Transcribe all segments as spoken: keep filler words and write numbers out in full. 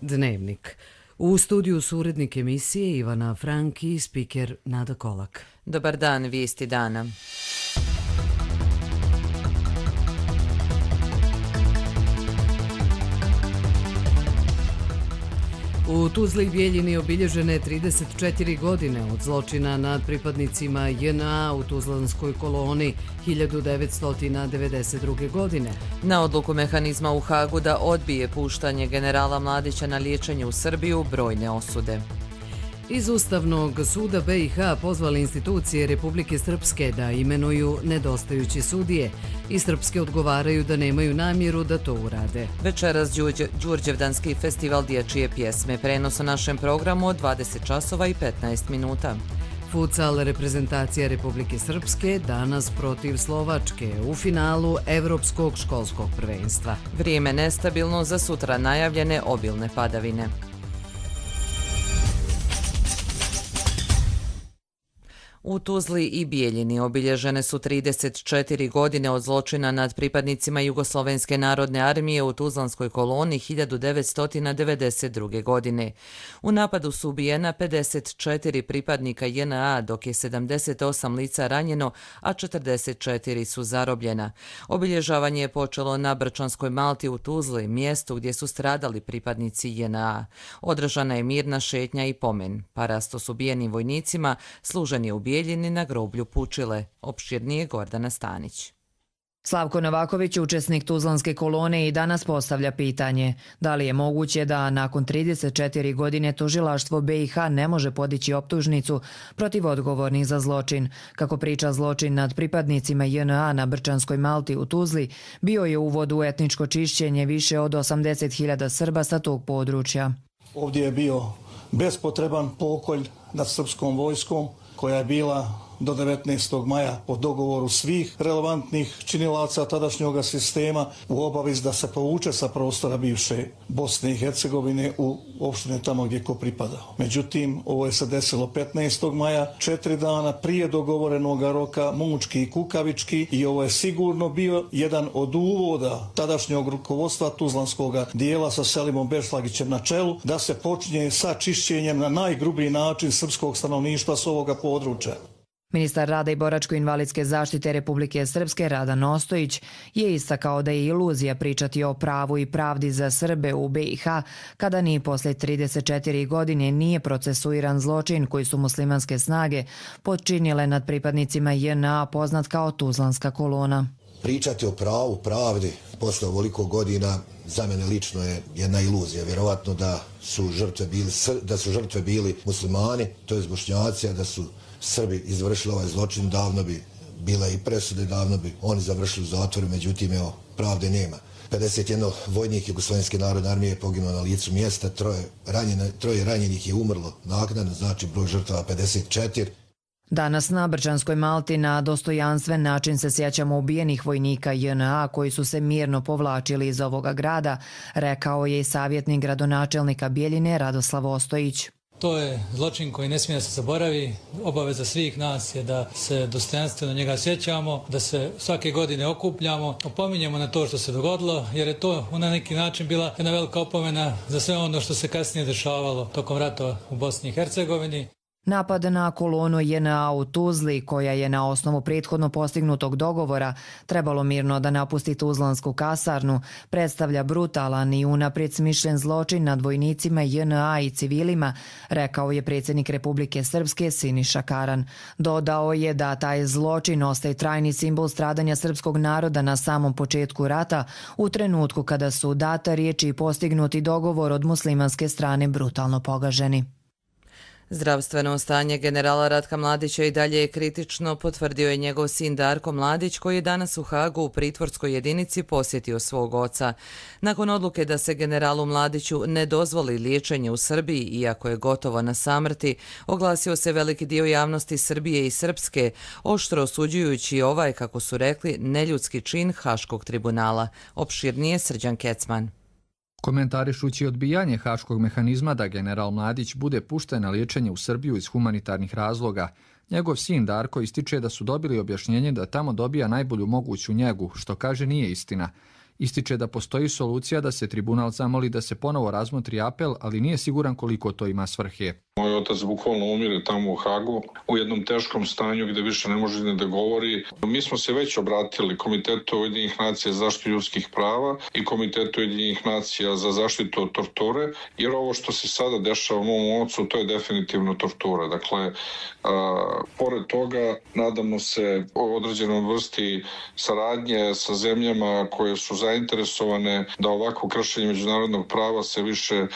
Dnevnik. U studiju su urednik emisije Ivana Franki i spiker Nada Kolak. Dobar dan, vijesti dana. U Tuzli i Bijeljini obilježene trideset četiri godine od zločina nad pripadnicima J N A u Tuzlanskoj koloni hiljadu devetsto devedeset druge. godine. Na odluku mehanizma u Hagu da odbije puštanje generala Mladića na liječenje u Srbiju brojne osude. Iz Ustavnog suda B i H pozvali institucije Republike Srpske da imenuju nedostajuće sudije i srpske odgovaraju da nemaju namjeru da to urade. Večeras Đurđevdanski festival dječje pjesme. Prenos u našem programu od dvadeset časova i petnaest minuta. Futsal reprezentacija Republike Srpske danas protiv Slovačke u finalu Evropskog školskog prvenstva. Vrijeme nestabilno, za sutra najavljene obilne padavine. U Tuzli i Bijeljini obilježene su trideset četiri godine od zločina nad pripadnicima Jugoslovenske narodne armije u Tuzlanskoj koloni hiljadu devetsto devedeset druge. godine. U napadu su ubijena pedeset četiri pripadnika J N A, dok je sedamdeset osam lica ranjeno, a četrdeset četiri su zarobljena. Obilježavanje je počelo na Brčanskoj Malti u Tuzli, mjestu gdje su stradali pripadnici J N A. Održana je mirna šetnja i pomen. Parasto s ubijenim vojnicima služen je u Bijeljini na groblju Pučile. Opširnije Gordana Stanić. Slavko Novaković, učesnik Tuzlanske kolone, i danas postavlja pitanje da li je moguće da nakon trideset četiri godine tužilaštvo B i H ne može podići optužnicu protiv odgovornih za zločin. Kako priča, zločin nad pripadnicima J N A na Brčanskoj Malti u Tuzli bio je uvod u etničko čišćenje više od osamdeset hiljada Srba sa tog područja. Ovdje je bio bespotreban pokolj nad srpskom vojskom koja je bila do devetnaestog maja po dogovoru svih relevantnih činilaca tadašnjeg sistema u obavezi da se povuče sa prostora bivše Bosne i Hercegovine u opštine tamo gdje ko pripadao. Međutim, ovo je se desilo petnaestog maja, četiri dana prije dogovorenog roka, mučki i kukavički, i ovo je sigurno bio jedan od uvoda tadašnjeg rukovodstva Tuzlanskog dijela sa Selimom Bešlagićem na čelu da se počinje sa čišćenjem na najgrublji način srpskog stanovništva s ovoga područja. Ministar rada i boračko-invalidske zaštite Republike Srpske Radan Ostojić je istakao da je iluzija pričati o pravu i pravdi za Srbe u B i H kada ni posle trideset četiri godine nije procesuiran zločin koji su muslimanske snage počinile nad pripadnicima J N A, poznat kao Tuzlanska kolona. Pričati o pravu, pravdi posle ovoliko godina za mene lično je jedna iluzija. Vjerovatno da su žrtve bili, da su žrtve bili muslimani, to je Bošnjaci, a da su Srbi izvršili ovaj zločin, davno bi bile i presude, davno bi oni završili u zatvoru, međutim, evo, pravde nema. pedeset jedan vojnik Jugoslovenske narodne armije je poginuo na licu mjesta, troje, ranjene, troje ranjenih je umrlo naknadno, znači broj žrtava pedeset četiri. Danas na Brčanskoj Malti na dostojanstven način se sjećamo ubijenih vojnika J N A koji su se mirno povlačili iz ovoga grada, rekao je i savjetnik gradonačelnika Bijeljine Radoslav Ostojić. To je zločin koji ne smije da se zaboravi. Obaveza svih nas je da se dostojanstveno njega sjećamo, da se svake godine okupljamo, opominjemo na to što se dogodilo, jer je to na neki način bila jedna velika opomena za sve ono što se kasnije dešavalo tokom rata u Bosni i Hercegovini. Napad na kolonu J N A u Tuzli, koja je na osnovu prethodno postignutog dogovora trebalo mirno da napusti Tuzlansku kasarnu, predstavlja brutalan i unaprijed smišljen zločin nad vojnicima J N A i civilima, rekao je predsjednik Republike Srpske Siniša Karan. Dodao je da taj zločin ostaje trajni simbol stradanja srpskog naroda na samom početku rata, u trenutku kada su data riječi i postignuti dogovor od muslimanske strane brutalno pogaženi. Zdravstveno stanje generala Ratka Mladića i dalje je kritično, potvrdio je njegov sin Darko Mladić, koji je danas u Hagu u pritvorskoj jedinici posjetio svog oca. Nakon odluke da se generalu Mladiću ne dozvoli liječenje u Srbiji, iako je gotovo na samrti, oglasio se veliki dio javnosti Srbije i Srpske, oštro osuđujući ovaj, kako su rekli, neljudski čin Haškog tribunala. Opširnije Srđan Kecman. Komentarišući odbijanje haškog mehanizma da general Mladić bude pušten na liječenje u Srbiju iz humanitarnih razloga, njegov sin Darko ističe da su dobili objašnjenje da tamo dobija najbolju moguću njegu, što kaže nije istina. Ističe da postoji solucija da se tribunal zamoli da se ponovo razmotri apel, ali nije siguran koliko to ima svrhe. Moj otac bukvalno umire tamo u Hagu, u jednom teškom stanju gde više ne može ni da govori. Mi smo se već obratili Komitetu Ujedinjenih nacija za zaštitu ljudskih prava i Komitetu Ujedinjenih nacija za zaštitu od torture, jer ovo što se sada dešava u mom ocu, to je definitivno tortura. Dakle, a, pored toga, nadamo se o određenom vrsti saradnje sa zemljama koje su zainteresovane da ovako kršenje međunarodnog prava se više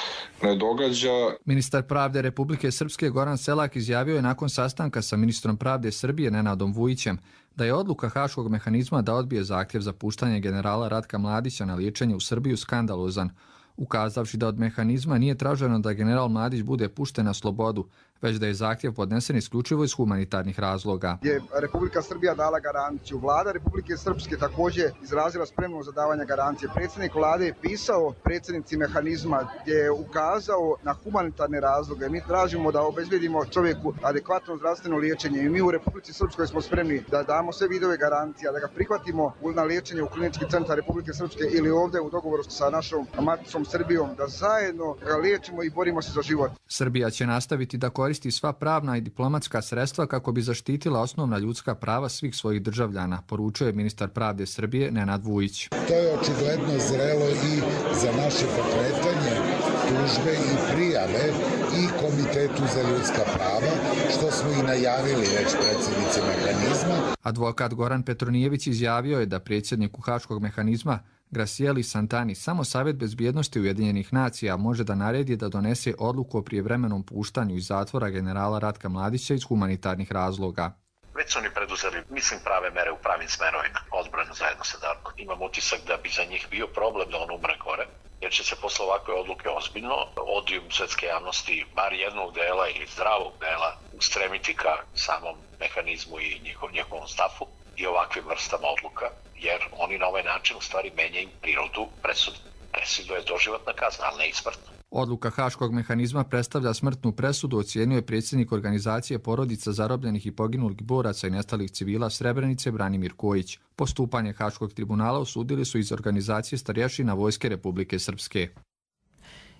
ne događa. Ministar pravde Republike Srpske Goran Selak izjavio je nakon sastanka sa ministrom pravde Srbije Nenadom Vujićem da je odluka Haškog mehanizma da odbije zahtjev za puštanje generala Ratka Mladića na liječenje u Srbiju skandalozan, ukazavši da od mehanizma nije traženo da general Mladić bude pušten na slobodu, već da je zahtjev podnesen isključivo iz humanitarnih razloga. Je Republika Srbija dala garanciju. Vlada Republike Srpske također izrazila spremnost za davanje garancije. Predsjednik vlade je pisao predsjednici mehanizma gdje je ukazao na humanitarne razloge. Mi tražimo da obezbedimo čovjeku adekvatno zdravstveno liječenje i mi u Republici Srpskoj smo spremni da damo sve vidove garancija, da ga prihvatimo na liječenje u Klinički centar Republike Srpske ili ovdje u dogovoru sa našom maticom Srbijom, da zajedno ga liječimo i borimo se za život. Srbija će nastaviti da koristi sva pravna i diplomatska sredstva kako bi zaštitila osnovna ljudska prava svih svojih državljana, poručuje ministar pravde Srbije Nenad Vujić. To je očigledno zrelo i za naše pokretanje tužbe i prijave i Komitetu za ljudska prava, što smo i najavili već predsjednici mehanizma. Advokat Goran Petronijević izjavio je da predsjedniku Haškog mehanizma Gracieli Santani samo Savjet bezbjednosti Ujedinjenih nacija može da naredi da donese odluku o prijevremenom puštanju iz zatvora generala Ratka Mladića iz humanitarnih razloga. Već su oni preduzeli, mislim, prave mere u pravim smerovima, odbranu zajedno sa Darkom. Imam utisak da bi za njih bio problem da on umre gore, jer će se posle ovakve odluke ozbiljno odijum svetske javnosti, bar jednog dela ili zdravog dela, ustremiti ka samom mehanizmu i njihov, njihovom stafu i ovakvim vrstama odluka, jer oni na ovaj način u stvari menjaju prirodu presude. Presudu je doživotna kazna, ali ne i smrtna. Odluka Haškog mehanizma predstavlja smrtnu presudu, ocijenio je predsjednik organizacije porodica zarobljenih i poginulih boraca i nestalih civila Srebrenice Branimir Kojić. Postupanje Haškog tribunala osudili su iz organizacije starješina Vojske Republike Srpske.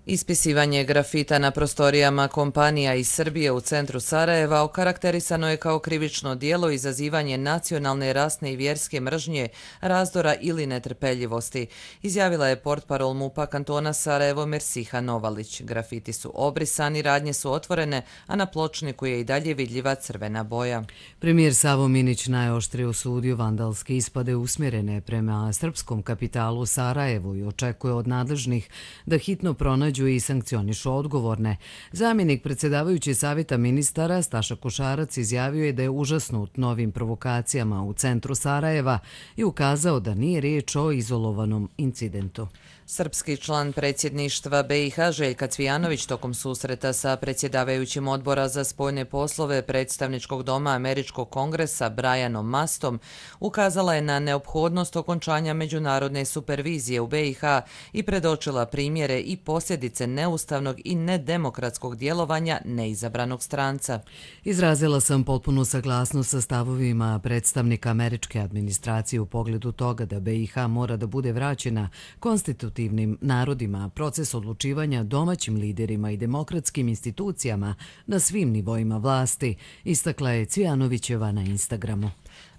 Ispisivanje grafita na prostorijama kompanija iz Srbije u centru Sarajeva okarakterisano je kao krivično djelo izazivanje nacionalne, rasne i vjerske mržnje, razdora ili netrpeljivosti, izjavila je portparol MUP-a kantona Sarajevo Mersiha Novalić. Grafiti su obrisani, radnje su otvorene, a na pločniku je i dalje vidljiva crvena boja. Premijer Savo Minić najoštrije osudio vandalske ispade usmjerene prema srpskom kapitalu Sarajevu i očekuje od nadležnih da hitno pronađu i sankcionišu odgovorne. Zamjenik predsjedavajući savjeta ministara Staša Košarac izjavio je da je užasnut novim provokacijama u centru Sarajeva i ukazao da nije riječ o izolovanom incidentu. Srpski član predsjedništva B i H Željka Cvijanović tokom susreta sa predsjedavajućim odbora za spoljne poslove predstavničkog doma Američkog kongresa Brianom Mastom ukazala je na neophodnost okončanja međunarodne supervizije u B i H i predočila primjere i posljedice neustavnog i nedemokratskog djelovanja neizabranog stranca. Izrazila sam potpunu saglasnost sa stavovima predstavnika američke administracije u pogledu toga da B i H mora da bude vraćena konstitutivnim narodima, proces odlučivanja domaćim liderima i demokratskim institucijama na svim nivoima vlasti, istakla je Cvijanovićeva na Instagramu.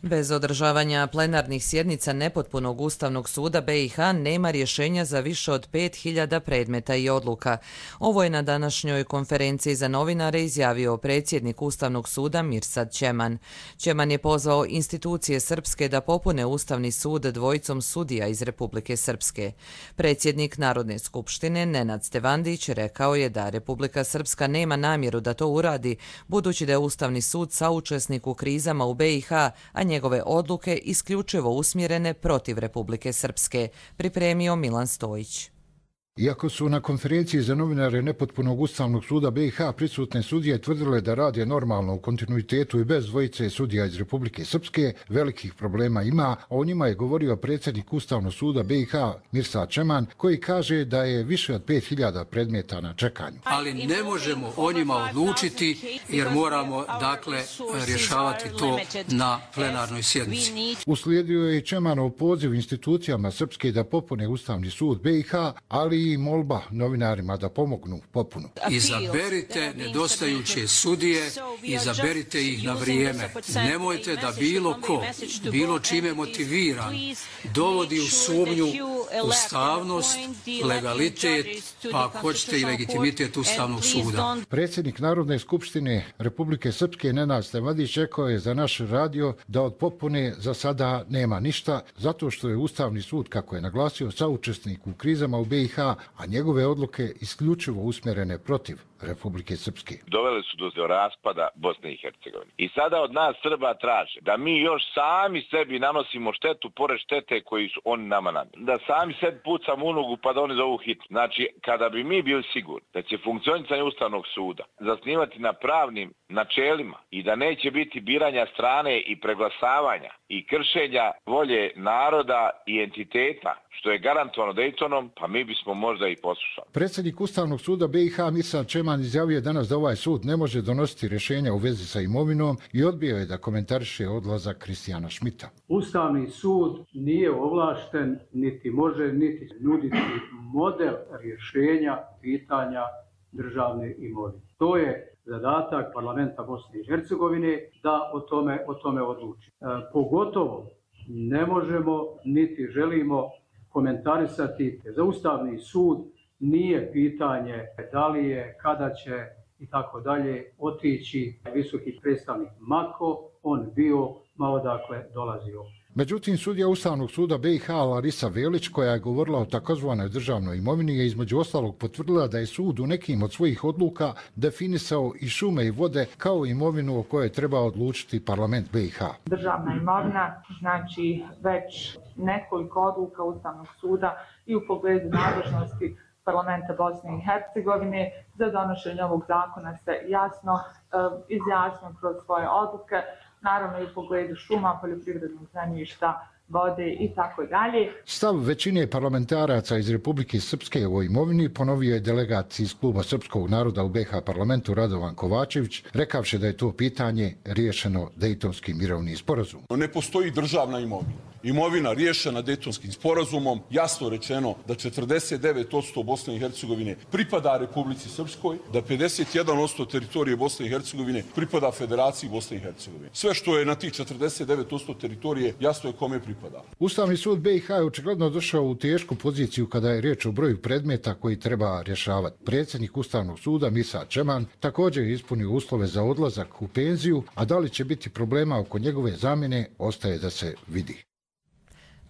Bez održavanja plenarnih sjednica nepotpunog Ustavnog suda B i H nema rješenja za više od pet hiljada predmeta i odluka. Ovo je na današnjoj konferenciji za novinare izjavio predsjednik Ustavnog suda Mirsad Ćeman. Ćeman je pozvao institucije srpske da popune Ustavni sud dvojicom sudija iz Republike Srpske. Predsjednik Narodne skupštine Nenad Stevandić rekao je da Republika Srpska nema namjeru da to uradi, budući da je Ustavni sud saučesnik u krizama u B i H, a njegove odluke isključivo usmjerene protiv Republike Srpske, pripremio Milan Stojić. Iako su na konferenciji za novinare nepotpunog Ustavnog suda B i H prisutne sudije tvrdile da rade normalno u kontinuitetu i bez dvojice sudija iz Republike Srpske, velikih problema ima, a o njima je govorio predsjednik Ustavnog suda B i H Mirsad Čeman, koji kaže da je više od pet hiljada predmeta na čekanju. Ali ne možemo o njima odlučiti jer moramo dakle rješavati to na plenarnoj sjednici. Uslijedio je i Čemanov poziv institucijama Srpske da popune Ustavni sud B i H, ali i molba novinarima da pomognu popunu. Izaberite nedostajuće sudije, izaberite ih na vrijeme. Nemojte da bilo ko, bilo čime motiviran, dovodi u sumnju ustavnost, legalitet, pa ako hoćete i legitimitet Ustavnog suda. Predsjednik Narodne skupštine Republike Srpske Nenad Stevadić rekao je za naš radio da od popune za sada nema ništa, zato što je Ustavni sud, kako je naglasio, saučesnik u krizama u B i H, a njegove odluke isključivo usmjerene protiv Republike Srpske. Dovele su do raspada Bosne i Hercegovine. I sada od nas Srba traže da mi još sami sebi nanosimo štetu pored štete koji su oni nama nanijeli. Da sami sebi pucamo u nogu pa da oni zovu hit. Znači, kada bi mi bili sigurni da će funkcionisanje Ustavnog suda zasnivati na pravnim načelima i da neće biti biranja strane i preglasavanja i kršenja volje naroda i entiteta, što je garantovano Daytonom, pa mi bismo možda i poslušali. Predsjednik Ustavnog suda B i H Mirsad Čeman izjavio danas da ovaj sud ne može donositi rješenja u vezi sa imovinom i odbio je da komentariše odlazak Kristijana Šmita. Ustavni sud nije ovlašten, niti može, niti nuditi model rješenja pitanja državne imovine. To je zadatak parlamenta Bosne i Hercegovine da o tome, o tome odluči. E, pogotovo ne možemo niti želimo komentarisati za Ustavni sud nije pitanje da li je, kada će i tako dalje otići visoki predstavnik Mako, on bio, ma odakle dolazio. Međutim, sudija Ustavnog suda B i H Larisa Velić, koja je govorila o takozvanoj državnoj imovini, je između ostalog potvrdila da je sud u nekim od svojih odluka definisao i šume i vode kao imovinu o kojoj treba odlučiti parlament B i H. Državna imovina znači već nekoliko odluka Ustavnog suda i u pogledu nadležnosti parlamenta Bosne i Hercegovine za donošenje ovog zakona se jasno uh, izjasnio kroz svoje odluke, naravno i u pogledu šuma, poljoprivrednog zemljišta, vode i tako dalje. Stav većine parlamentaraca iz Republike Srpske o imovini ponovio je delegat iz kluba Srpskog naroda u B H parlamentu Radovan Kovačević, rekavši da je to pitanje riješeno Dejtonskim mirovnim sporazumom. Ne postoji državna imovina. Imovina riješena Dejtonskim sporazumom, jasno rečeno da četrdeset devet posto Bosne i Hercegovine pripada Republici Srpskoj, da pedeset jedan posto teritorije Bosne i Hercegovine pripada Federaciji Bosne i Hercegovine. Sve što je na tih četrdeset devet posto teritorije jasno je kome pripada. Ustavni sud B i H je očigledno došao u tešku poziciju kada je riječ o broju predmeta koji treba rješavati. Predsjednik Ustavnog suda Mirsad Čeman također je ispunio uslove za odlazak u penziju, a da li će biti problema oko njegove zamjene ostaje da se vidi.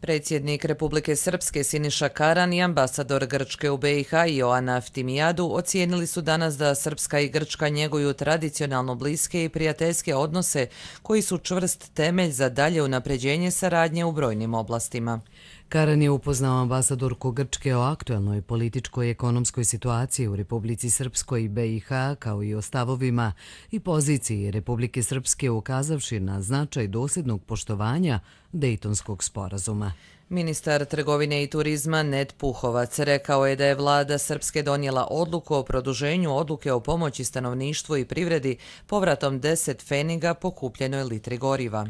Predsjednik Republike Srpske Siniša Karan i ambasador Grčke u B i H Ioana Eftimijadu ocijenili su danas da Srpska i Grčka njeguju tradicionalno bliske i prijateljske odnose koji su čvrst temelj za dalje unapređenje saradnje u brojnim oblastima. Karan je upoznao ambasadorku Grčke o aktuelnoj političkoj i ekonomskoj situaciji u Republici Srpskoj i B i H, kao i o stavovima i poziciji Republike Srpske, ukazavši na značaj dosljednog poštovanja Dejtonskog sporazuma. Ministar trgovine i turizma Ned Puhovac rekao je da je vlada Srpske donijela odluku o produženju odluke o pomoći stanovništvu i privredi povratom deset pfeniga po kupljenoj litri goriva.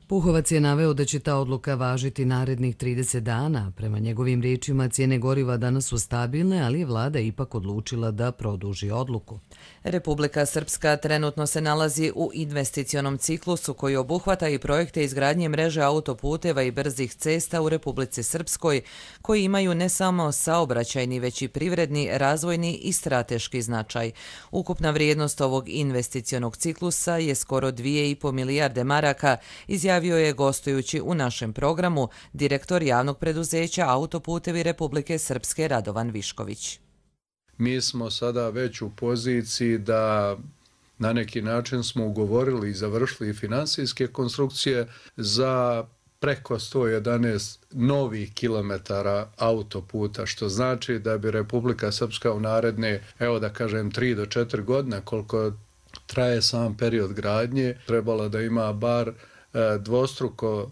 Puhovac je naveo da će ta odluka važiti narednih trideset dana. Prema njegovim riječima, cijene goriva danas su stabilne, ali je vlada ipak odlučila da produži odluku. Republika Srpska trenutno se nalazi u investicionom ciklusu koji obuhvata i projekte izgradnje mreže autoputeva i brzih cesta u Republici Srpskoj, koji imaju ne samo saobraćajni, već i privredni, razvojni i strateški značaj. Ukupna vrijednost ovog investicionog ciklusa je skoro dvije i po milijarde maraka, izjavio je gostujući u našem programu direktor javnog preduzeća Autoputevi Republike Srpske Radovan Višković. Mi smo sada već u poziciji da na neki način smo ugovorili i završili finansijske konstrukcije za preko sto jedanaest novih kilometara autoputa, što znači da bi Republika Srpska u naredne, evo da kažem, tri do četiri godine, koliko traje sam period gradnje, trebala da ima bar dvostruko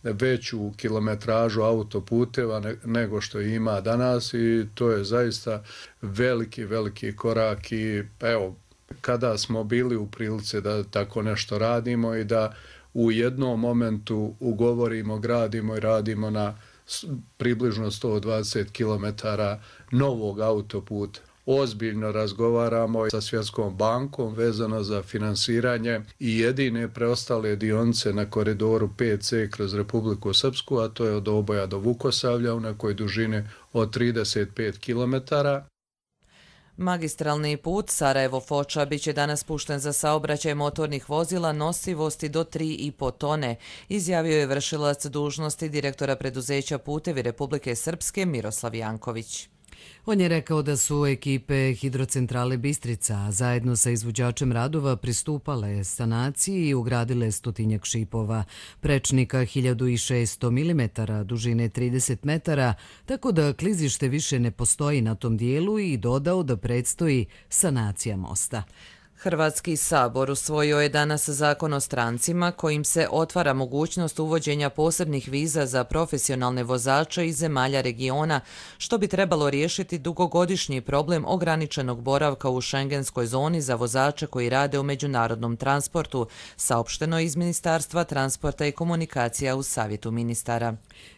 veću kilometražu autoputeva nego što ima danas i to je zaista veliki, veliki korak i evo, kada smo bili u prilici da tako nešto radimo i da u jednom momentu ugovorimo, gradimo i radimo na približno sto dvadeset kilometara novog autoputa. Ozbiljno razgovaramo sa Svjetskom bankom vezano za finansiranje i jedine preostale dionice na koridoru pet ce kroz Republiku Srpsku, a to je od Oboja do Vukosavlja u nekoj dužini od trideset pet kilometara. Magistralni put Sarajevo-Foča biće danas pušten za saobraćaj motornih vozila nosivosti do tri i po tone, izjavio je vršilac dužnosti direktora preduzeća Putevi Republike Srpske Miroslav Janković. On je rekao da su ekipe Hidrocentrale Bistrica zajedno sa izvođačem radova pristupale sanaciji i ugradile stotinjak šipova, prečnika hiljadu šessto milimetara, dužine trideset metara, tako da klizište više ne postoji na tom dijelu i dodao da predstoji sanacija mosta. Hrvatski sabor usvojio je danas zakon o strancima kojim se otvara mogućnost uvođenja posebnih viza za profesionalne vozače iz zemalja regiona, što bi trebalo riješiti dugogodišnji problem ograničenog boravka u šengenskoj zoni za vozače koji rade u međunarodnom transportu, saopšteno iz Ministarstva transporta i komunikacija u Savjetu ministara.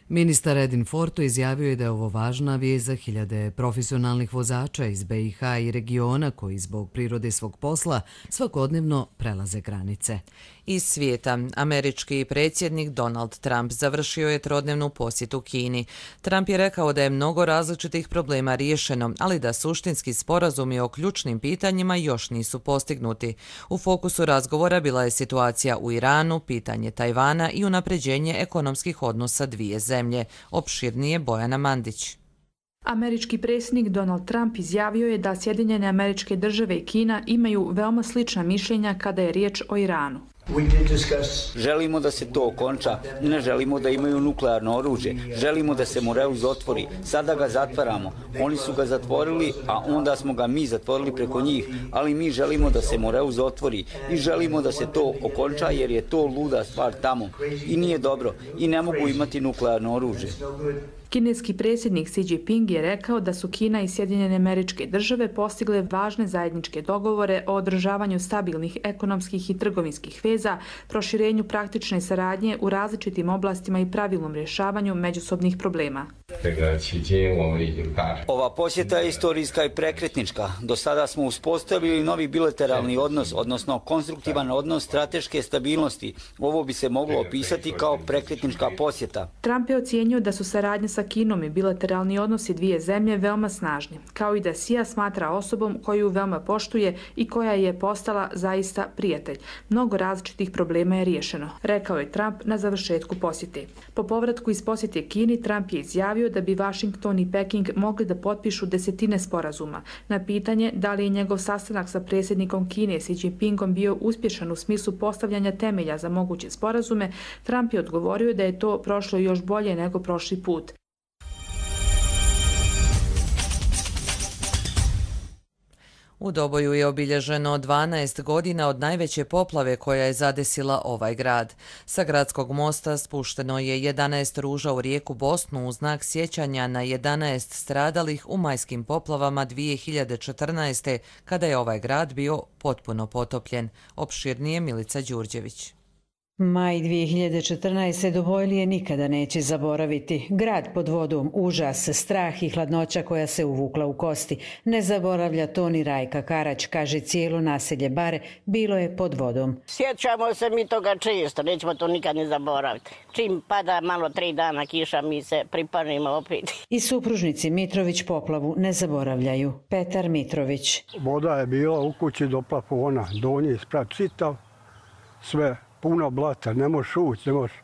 Ministar Edin Forto izjavio je da je ovo važna vijest za hiljade profesionalnih vozača iz be i ha i regiona koji zbog prirode svog posla svakodnevno prelaze granice. Iz svijeta, američki predsjednik Donald Trump završio je trodnevnu posjetu Kini. Trump je rekao da je mnogo različitih problema riješeno, ali da suštinski sporazumi o ključnim pitanjima još nisu postignuti. U fokusu razgovora bila je situacija u Iranu, pitanje Tajvana i unapređenje ekonomskih odnosa dvije zemlje. Opširnije Bojana Mandić. Američki predsjednik Donald Trump izjavio je da Sjedinjene Američke Države i Kina imaju veoma slična mišljenja kada je riječ o Iranu. Želimo da se to okonča, ne želimo da imaju nuklearno oružje, želimo da se Moreus otvori, sada ga zatvaramo, oni su ga zatvorili, a onda smo ga mi zatvorili preko njih, ali mi želimo da se Moreus otvori i želimo da se to okonča jer je to luda stvar tamo i nije dobro i ne mogu imati nuklearno oružje. Kineski predsjednik Xi Jinping je rekao da su Kina i Sjedinjene Američke Države postigle važne zajedničke dogovore o održavanju stabilnih ekonomskih i trgovinskih veza, proširenju praktične saradnje u različitim oblastima i pravilnom rješavanju međusobnih problema. Ova posjeta je istorijska i prekretnička. Do sada smo uspostavili novi bilateralni odnos, odnosno konstruktivan odnos strateške stabilnosti. Ovo bi se moglo opisati kao prekretnička posjeta. Trump je ocijenio da su saradnje sa Kinom i bilateralni odnosi dvije zemlje veoma snažni, kao i da Xija smatra osobom koju veoma poštuje i koja je postala zaista prijatelj. Mnogo različitih problema je riješeno, rekao je Trump na završetku posjete. Po povratku iz posjete Kini, Trump je izjavio da bi Washington i Peking mogli da potpišu desetine sporazuma. Na pitanje da li je njegov sastanak sa predsjednikom Kine Xi Jinpingom bio uspješan u smislu postavljanja temelja za moguće sporazume, Trump je odgovorio da je to prošlo još bolje nego prošli put. U Doboju je obilježeno dvanaest godina od najveće poplave koja je zadesila ovaj grad. Sa gradskog mosta spušteno je jedanaest ruža u rijeku Bosnu u znak sjećanja na jedanaest stradalih u majskim poplavama dvije hiljade četrnaeste. kada je ovaj grad bio potpuno potopljen. Opširnije Milica Đurđević. Maj dvije hiljade četrnaeste. Dobojlije nikada neće zaboraviti. Grad pod vodom, užas, strah i hladnoća koja se uvukla u kosti. Ne zaboravlja to ni Rajka Karać, kaže cijelo naselje Bare, bilo je pod vodom. Sjećamo se mi toga često, nećemo to nikad ne zaboraviti. Čim pada malo tri dana kiša, mi se pripanimo opet. I supružnici Mitrović poplavu ne zaboravljaju. Petar Mitrović. Voda je bila u kući do plafona, donji sprat čitav, sve puno blata, ne možeš ući, ne možeš.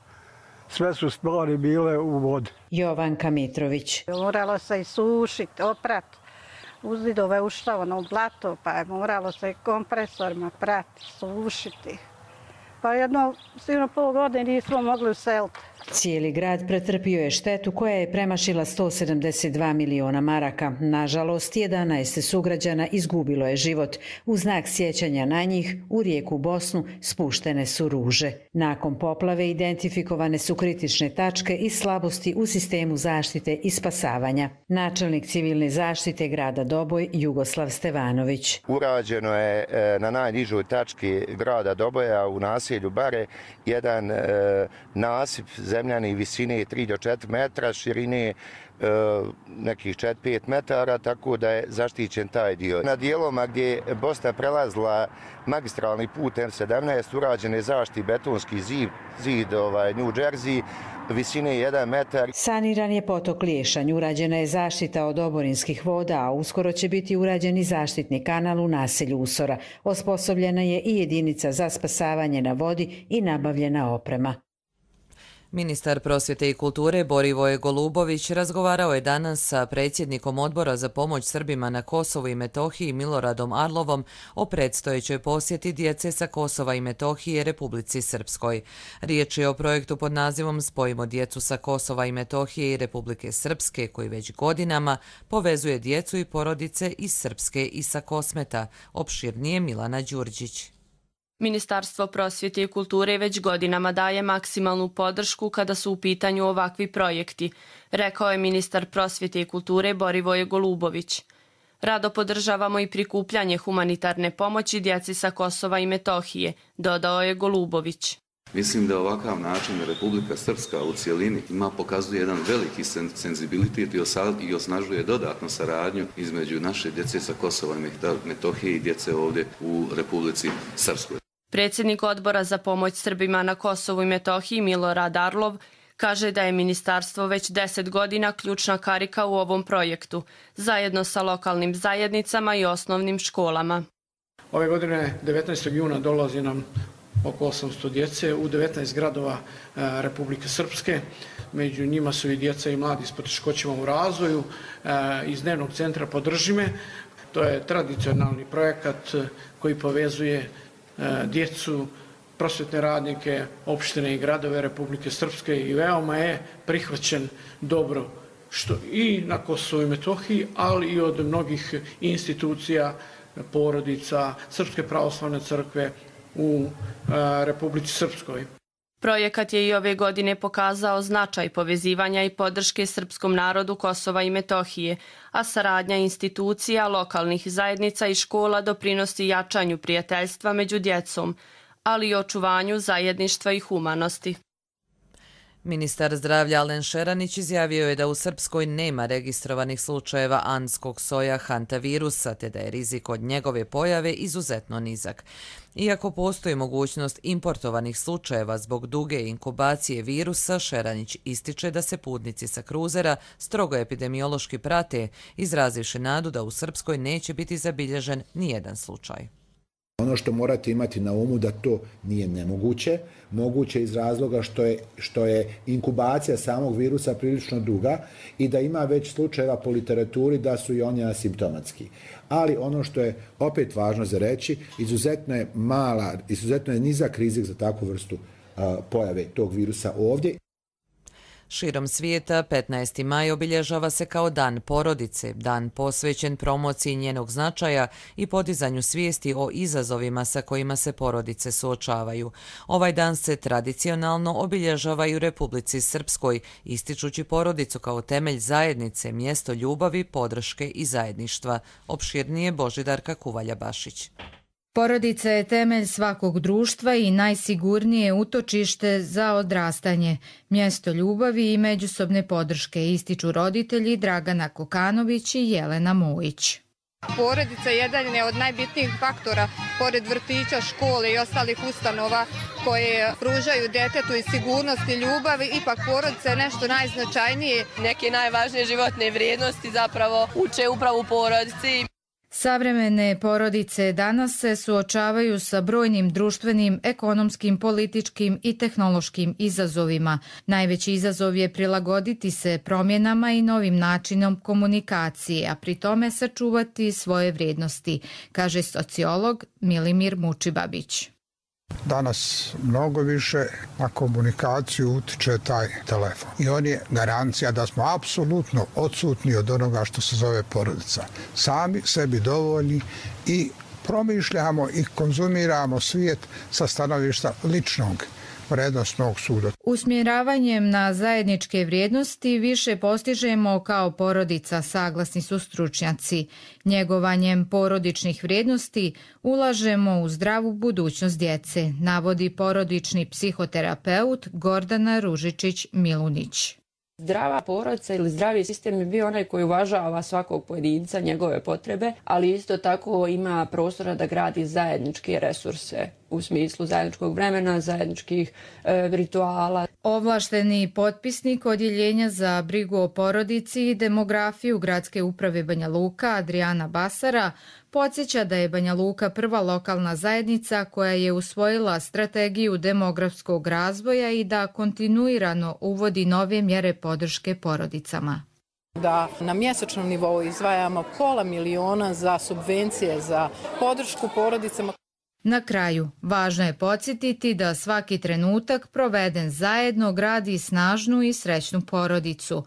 Sve su stvari bile u vodi. Jovanka Mitrović. Moralo se i sušiti, oprati. Uz zidove ušla ono blato, pa je moralo se kompresorima prati, sušiti. Pa jedno, sigurno pol godine nismo mogli useliti. Cijeli grad pretrpio je štetu koja je premašila sto sedamdeset dva miliona maraka. Nažalost, jedanaest sugrađana izgubilo je život. U znak sjećanja na njih, u rijeku Bosnu spuštene su ruže. Nakon poplave identifikovane su kritične tačke i slabosti u sistemu zaštite i spasavanja. Načelnik civilne zaštite grada Doboj, Jugoslav Stevanović. Urađeno je na najnižoj tački grada Doboja u naselju Bare jedan e, nasip zemljani visine tri do četiri metra, širine e, nekih četiri do pet metara, tako da je zaštićen taj dio. Na dijeloma gdje je Bosna prelazila magistralni put M sedamnaest urađen je zaštitni betonski zid, zid ovaj, New Jersey, visine jedan metar. Saniran je potok Liješanj, urađena je zaštita od oborinskih voda, a uskoro će biti urađen i zaštitni kanal u naselju Usora. Osposobljena je i jedinica za spasavanje na vodi i nabavljena oprema. Ministar prosvjete i kulture Borivoje Golubović razgovarao je danas sa predsjednikom Odbora za pomoć Srbima na Kosovu i Metohiji Miloradom Arlovom o predstojećoj posjeti djece sa Kosova i Metohije Republici Srpskoj. Riječ je o projektu pod nazivom Spojimo djecu sa Kosova i Metohije i Republike Srpske, koji već godinama povezuje djecu i porodice iz Srpske i sa Kosmeta. Opširnije Milana Đurđić. Ministarstvo prosvjete i kulture već godinama daje maksimalnu podršku kada su u pitanju ovakvi projekti, rekao je ministar prosvjete i kulture Borivoje Golubović. Rado podržavamo i prikupljanje humanitarne pomoći djeci sa Kosova i Metohije, dodao je Golubović. Mislim da ovakav način Republika Srpska u cijelini ima pokazuje jedan veliki senzibilitet i osnažuje dodatno saradnju između naše djece sa Kosova i Metohije i djece ovdje u Republici Srpskoj. Predsjednik Odbora za pomoć Srbima na Kosovu i Metohiji Milorad Arlov kaže da je ministarstvo već deset godina ključna karika u ovom projektu, zajedno sa lokalnim zajednicama i osnovnim školama. Ove godine devetnaestog juna dolazi nam oko osamsto djece u devetnaest gradova Republike Srpske. Među njima su i djeca i mladi s poteškoćama u razvoju iz dnevnog centra Podržime. To je tradicionalni projekat koji povezuje djecu, prosvjetne radnike, opštine i gradove Republike Srpske i veoma je prihvaćen dobro što i na Kosovu i Metohiji, ali i od mnogih institucija, porodica, Srpske pravoslavne crkve u Republici Srpskoj. Projekat je i ove godine pokazao značaj povezivanja i podrške srpskom narodu Kosova i Metohije, a saradnja institucija, lokalnih zajednica i škola doprinosi jačanju prijateljstva među djecom, ali i očuvanju zajedništva i humanosti. Ministar zdravlja Alen Šeranić izjavio je da u Srpskoj nema registrovanih slučajeva anskog soja hantavirusa, te da je rizik od njegove pojave izuzetno nizak. Iako postoji mogućnost importovanih slučajeva zbog duge inkubacije virusa, Šeranić ističe da se putnici sa kruzera strogo epidemiološki prate, izrazivši nadu da u Srpskoj neće biti zabilježen nijedan slučaj. Ono što morate imati na umu da to nije nemoguće, moguće iz razloga što je, što je inkubacija samog virusa prilično duga i da ima već slučajeva po literaturi da su i oni asimptomatski. Ali ono što je opet važno za reći, izuzetno je mala, izuzetno je nizak rizik za takvu vrstu a, pojave tog virusa ovdje. Širom svijeta petnaesti maj obilježava se kao Dan porodice, dan posvećen promociji njenog značaja i podizanju svijesti o izazovima sa kojima se porodice suočavaju. Ovaj dan se tradicionalno obilježava i u Republici Srpskoj, ističući porodicu kao temelj zajednice, mjesto ljubavi, podrške i zajedništva. Opširnije Božidarka Kuvalja-Bašić. Porodica je temelj svakog društva i najsigurnije utočište za odrastanje, mjesto ljubavi i međusobne podrške, ističu roditelji Dragana Kokanović i Jelena Mojić. Porodica je jedan od najbitnijih faktora, pored vrtića, škole i ostalih ustanova koje pružaju djetetu i sigurnost i ljubav, ipak porodica je nešto najznačajnije. Neke najvažnije životne vrijednosti zapravo uče upravo u porodici. Savremene porodice danas se suočavaju sa brojnim društvenim, ekonomskim, političkim i tehnološkim izazovima. Najveći izazov je prilagoditi se promjenama i novim načinom komunikacije, a pri tome sačuvati svoje vrijednosti, kaže sociolog Milimir Mučibabić. danas mnogo više na komunikaciju utiče taj telefon. I on je garancija da smo apsolutno odsutni od onoga što se zove porodica. Sami sebi dovoljni i promišljamo i konzumiramo svijet sa stanovišta ličnog vrednostnog suda. Usmjeravanjem na zajedničke vrijednosti više postižemo kao porodica, saglasni su stručnjaci. Njegovanjem porodičnih vrijednosti ulažemo u zdravu budućnost djece, navodi porodični psihoterapeut Gordana Ružičić-Milunić. Zdrava porodica ili zdravi sistem je bio onaj koji uvažava svakog pojedinca, njegove potrebe, ali isto tako ima prostora da gradi zajedničke resurse u smislu zajedničkog vremena, zajedničkih e, rituala. Ovlašteni potpisnik Odjeljenja za brigu o porodici i demografiju Gradske uprave Banja Luka Adriana Basara podsjeća da je Banja Luka prva lokalna zajednica koja je usvojila strategiju demografskog razvoja i da kontinuirano uvodi nove mjere podrške porodicama. Da na mjesečnom nivou izdvajamo pola miliona za subvencije za podršku porodicama. Na kraju, važno je podsjetiti da svaki trenutak proveden zajedno gradi snažnu i srećnu porodicu.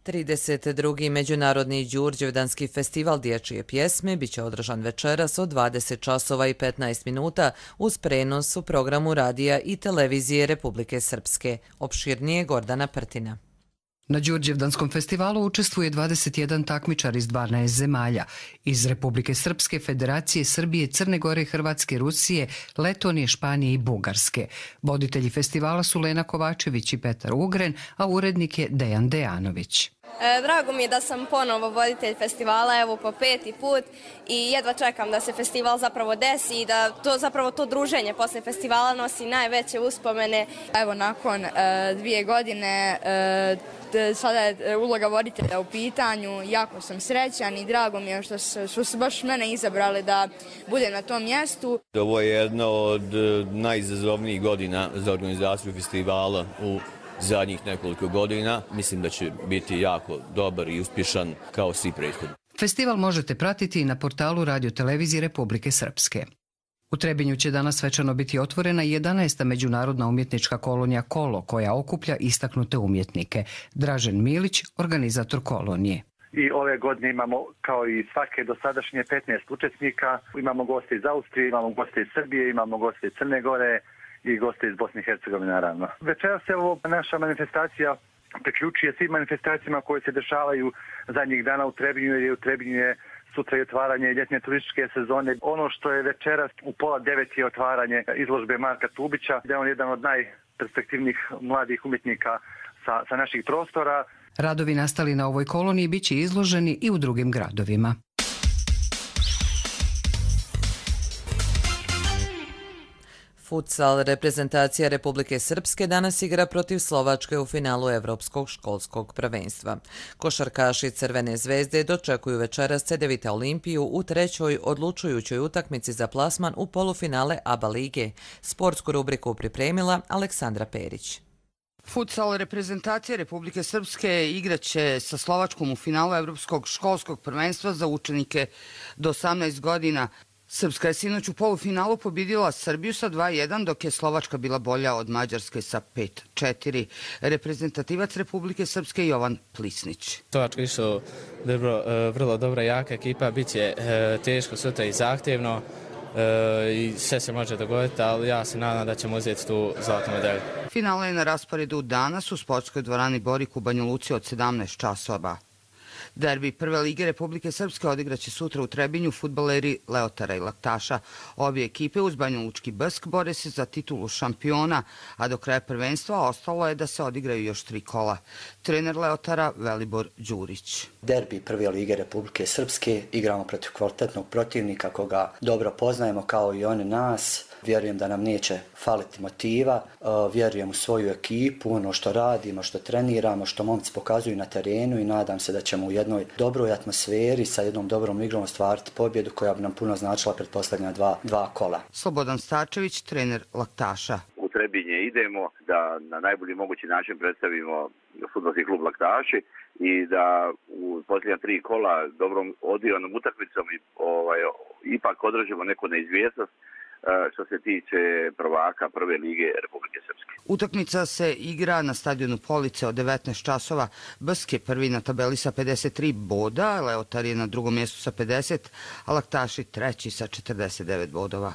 trideset drugi Međunarodni Đurđevdanski festival dječje pjesme biće održan večeras od dvadeset časova i petnaest minuta uz prenos u programu radija i televizije Republike Srpske. Opširnije Gordana Prtina. Na Đurđevdanskom festivalu učestvuje dvadeset jedan takmičar iz dvanaest zemalja, iz Republike Srpske, Federacije Srbije, Crne Gore, Hrvatske, Rusije, Letonije, Španije i Bugarske. Voditelji festivala su Lena Kovačević i Petar Ugren, a urednik je Dejan Dejanović. Drago mi je da sam ponovo voditelj festivala, evo po peti put i jedva čekam da se festival zapravo desi i da to zapravo to druženje posle festivala nosi najveće uspomene. Evo nakon uh, dvije godine uh, sada je uloga voditelja u pitanju, jako sam srećan i drago mi je što su, što su baš mene izabrali da budem na tom mjestu. Ovo je jedna od najizazovnijih godina za organizaciju festivala u zadnjih nekoliko godina. Mislim da će biti jako dobar i uspješan kao svi prethodni. Festival možete pratiti i na portalu Radio televizije Republike Srpske. U Trebinju će danas svečano biti otvorena jedanaesta međunarodna umjetnička kolonija Kolo, koja okuplja istaknute umjetnike. Dražen Milić, organizator kolonije. I ove godine imamo, kao i svake dosadašnje, petnaest učesnika. Imamo goste iz Austrije, imamo goste iz Srbije, imamo goste iz Crne Gore i goste iz Bosne i Hercegovine, naravno. Večeras se ovo naša manifestacija priključuje svim manifestacijama koje se dešavaju zadnjih dana u Trebinju, jer je u Trebinju je sutra i otvaranje ljetne turističke sezone. Ono što je večeras u pola devet je otvaranje izložbe Marka Tubića, gdje je on jedan od najperspektivnijih mladih umjetnika sa, sa naših prostora. Radovi nastali na ovoj koloniji biće izloženi i u drugim gradovima. Futsal reprezentacija Republike Srpske danas igra protiv Slovačke u finalu Evropskog školskog prvenstva. Košarkaši Crvene zvezde dočekuju večeras Cedevita Olimpiju u trećoj odlučujućoj utakmici za plasman u polufinale A B A lige. Sportsku rubriku pripremila Aleksandra Perić. Futsal reprezentacija Republike Srpske igraće sa Slovačkom u finalu Evropskog školskog prvenstva za učenike do osamnaest godina. Srpska je sinoć u polufinalu pobjedila Srbiju sa dva jedan, dok je Slovačka bila bolja od Mađarske sa pet četiri. Reprezentativac Republike Srpske Jovan Plisnić. Slovačka su dobro, vrlo dobra jaka ekipa, bit će teško sutra i zahtjevno i sve se može dogoditi, ali ja se nadam da ćemo uzeti tu zlatnu medalju. Finale je na rasporedu danas u sportskoj dvorani Borik u Banja Luci od sedamnaest časova. Derbi Prve lige Republike Srpske odigraće sutra u Trebinju fudbaleri Leotara i Laktaša. Obje ekipe uz Banja Lučki Brsk bore se za titulu šampiona, a do kraja prvenstva ostalo je da se odigraju još tri kola. Trener Leotara Velibor Đurić. Derbi Prve lige Republike Srpske igramo protiv kvalitetnog protivnika koga dobro poznajemo kao i oni nas. Vjerujem da nam neće faliti motiva, vjerujem u svoju ekipu, ono što radimo, što treniramo, što momci pokazuju na terenu i nadam se da ćemo u jednoj dobroj atmosferi sa jednom dobrom igrom ostvariti pobjedu koja bi nam puno značila pretposlednja dva, dva kola. Slobodan Starčević, trener Laktaša. U Trebinje idemo da na najbolji mogući način predstavimo fudbalski klub Laktaši i da u posljednja tri kola dobrom odigranom utakmicom i ovaj, ipak održimo neku neizvjesnost, što se tiče prvaka prve lige Republike Srpske. Utakmica se igra na stadionu Police od devetnaest časova. Brsk je prvi na tabeli sa pedeset tri boda, Leotar je na drugom mjestu sa pedeset, a Laktaši treći sa četrdeset devet bodova.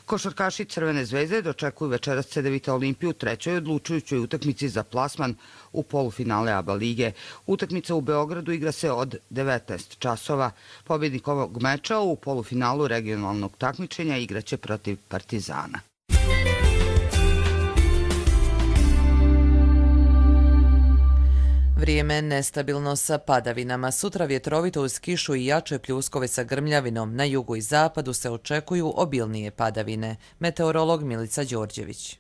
Košarkaši Crvene zvezde dočekuju večeras Cedevita Olimpiju u trećoj odlučujućoj utakmici za plasman u polufinale A B A lige. Utakmica u Beogradu igra se od devetnaest časova. Pobjednik ovog meča u polufinalu regionalnog takmičenja igraće protiv Partizana. Vrijeme nestabilno sa padavinama. Sutra vjetrovito uz kišu i jače pljuskove sa grmljavinom. Na jugu i zapadu se očekuju obilnije padavine. Meteorolog Milica Đorđević.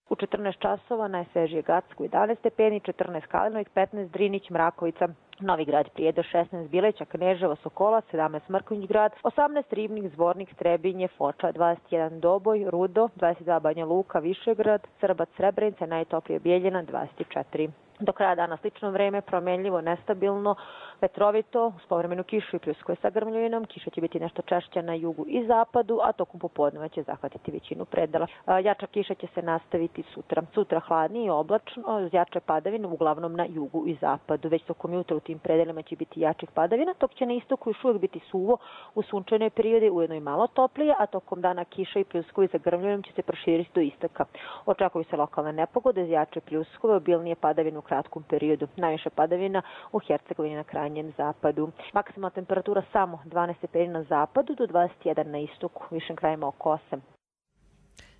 U četrnaest časova najsvežije Gacko jedanaest stepeni, četrnaest Kalinović, petnaest Drinić, Mrakovica, Novi Grad, Prijedor šesnaest, Bileća, Kneževo, Sokola, sedamnaest Mrkonjić Grad, osamnaest Ribnik, Zvornik, Trebinje, Foča, dvadeset jedan Doboj, Rudo, dvadeset dva Banja Luka, Višegrad, Srbac, Srebrenica, najtoplije Bijeljina, dvadeset četiri. Do kraja dana slično vreme, promjenljivo, nestabilno, vetrovito, uz povremenu kišu i pljuskove sa grmljavinom. Kiša će biti nešto češća na jugu i zapadu, a tokom popodneva će zahvatiti većinu predela. Jača kiša će se nastaviti sutra. Sutra hladnije i oblačno, jače padavine uglavnom na jugu i zapadu. Već tokom jutra u tim predelima će biti jačih padavina, dok će na istoku još uvijek biti suvo u sunčanoj periodi, ujedno i malo toplije, a tokom dana kiša i pljuskovi za grmljavinom će se proširiti do istoka. Očekuju se lokalne nepogode, jače pljuskove, obilnije padavine u kratkom periodu. Najviše padavina u Hercegovini na krajnjem zapadu. Maksimalna temperatura samo dvanaest stepeni na zapadu do dvadeset jedan na istoku, višim krajima oko osam.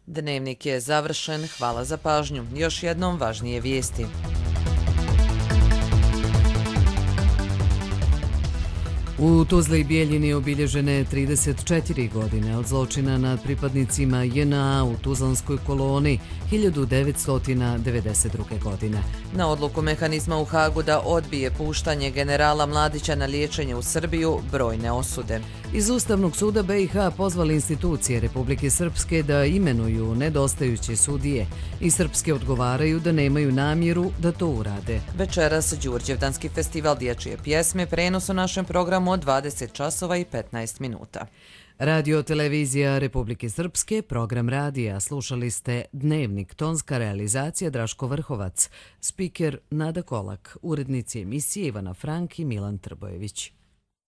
Dnevnik je završen. Hvala za pažnju. Još jednom važnije vijesti. U Tuzli i Bijeljini obilježene trideset četiri godine od zločina nad pripadnicima J N A u Tuzlanskoj koloni hiljadu devetsto devedeset druge. godine. Na odluku mehanizma u Hagu da odbije puštanje generala Mladića na liječenje u Srbiju brojne osude. Iz Ustavnog suda B i H pozvali institucije Republike Srpske da imenuju nedostajuće sudije i srpske odgovaraju da nemaju namjeru da to urade. Večeras Đurđevdanski festival dječje pjesme, prenos u našem programu od dvadeset časova i petnaest minuta. Radio televizija Republike Srpske, program radija. Slušali ste Dnevnik, tonska realizacija Draško Vrhovac, spiker Nada Kolak, urednici emisije Ivana Frank i Milan Trbojević.